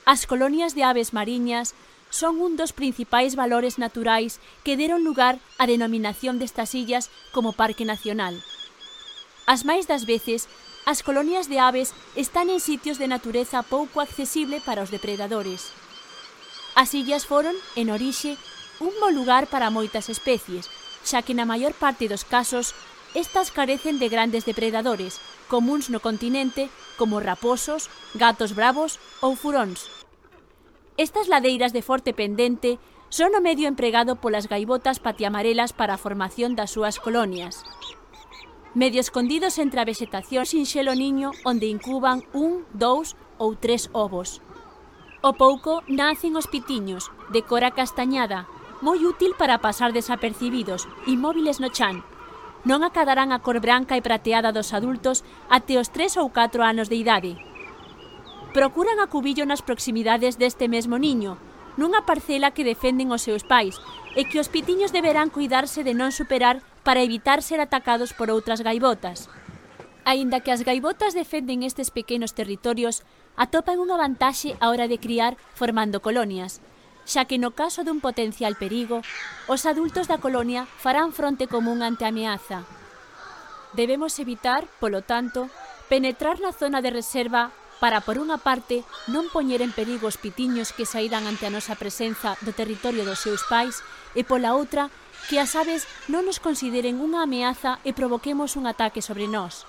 As colonias de aves mariñas son un dos principais valores naturais que deron lugar á denominación destas illas como Parque Nacional. As máis das veces, as colonias de aves están en sitios de natureza pouco accesible para os depredadores. As illas foron, en orixe, un bo lugar para moitas especies, xa que na maior parte dos casos, estas carecen de grandes depredadores, comuns no continente como raposos, gatos bravos ou furóns. Estas ladeiras de forte pendente son o medio empregado polas gaivotas patiamarelas para a formación das súas colonias. Medio escondidos entre a vexetación sinxelo niño onde incuban 1, 2 ou 3 ovos. Ao pouco nacen os pitiños, de cor castañada, moi útil para pasar desapercibidos, inmóviles no chan. Non acadarán a cor branca e prateada dos adultos até os 3 ou 4 anos de idade. Procuran acubillo nas proximidades deste mesmo niño, nunha parcela que defenden os seus pais, e que os pitiños deberán cuidarse de non superar para evitar ser atacados por outras gaivotas. Aínda que as gaivotas defenden estes pequenos territorios, atopan unha vantaxe á hora de criar formando colonias, xa que no caso dun potencial perigo, os adultos da colonia farán fronte común ante a ameaza. Debemos evitar, polo tanto, penetrar na zona de reserva para, por unha parte, non poñer en perigo os pitiños que sairán ante a nosa presenza do territorio dos seus pais e, pola outra, que as aves non nos consideren unha ameaza e provoquemos un ataque sobre nós.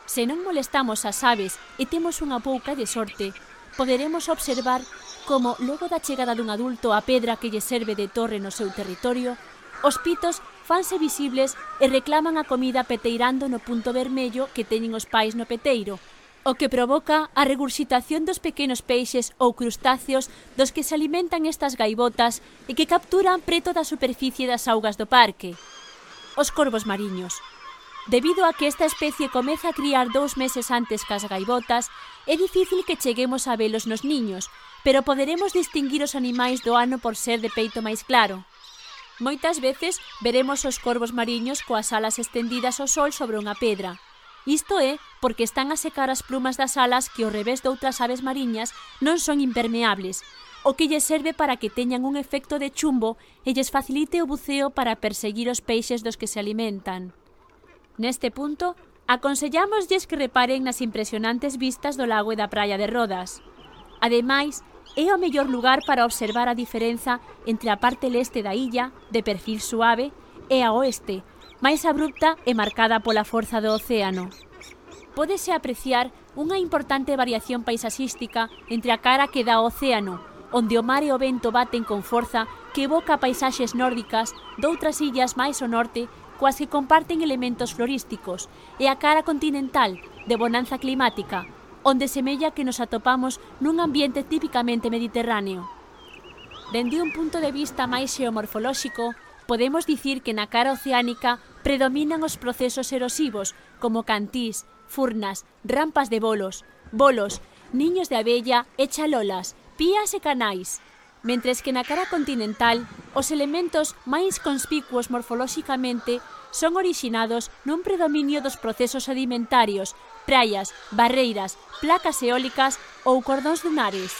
Se non molestamos as aves e temos unha pouca de sorte, poderemos observar como, logo da chegada dun adulto á pedra que lle serve de torre no seu territorio, os pitos fanse visibles e reclaman a comida peteirando no punto vermello que teñen os pais no peteiro, o que provoca a regurxitación dos pequenos peixes ou crustáceos dos que se alimentan estas gaivotas e que capturan preto da superficie das augas do parque. Os corvos mariños. Debido a que esta especie comeza a criar 2 meses antes que as gaivotas, é difícil que cheguemos a velos nos niños, pero poderemos distinguir os animais do ano por ser de peito máis claro. Moitas veces veremos os corvos mariños coas alas estendidas ao sol sobre unha pedra. Isto é porque están a secar as plumas das alas que ao revés doutras aves mariñas non son impermeables, o que lles serve para que teñan un efecto de chumbo e lles facilite o buceo para perseguir os peixes dos que se alimentan. Neste punto, aconsellámoslles que reparen nas impresionantes vistas do lago e da praia de Rodas. Ademais, é o mellor lugar para observar a diferenza entre a parte leste da illa, de perfil suave, e a oeste, máis abrupta e marcada pola forza do océano. Pódese apreciar unha importante variación paisaxística entre a cara que dá ao océano, onde o mar e o vento baten con forza que evoca paisaxes nórdicas doutras illas máis ao norte coas que comparten elementos florísticos, e a cara continental, de bonanza climática, onde semella que nos atopamos nun ambiente típicamente mediterráneo. Dende un punto de vista máis xeomorfolóxico, podemos dicir que na cara oceánica predominan os procesos erosivos, como cantís, furnas, rampas de bolos, niños de abella e chalolas, pías e canais, mentres que na cara continental os elementos máis conspicuos morfolóxicamente son orixinados nun predominio dos procesos sedimentarios, praias, barreiras, placas eólicas ou cordóns dunares.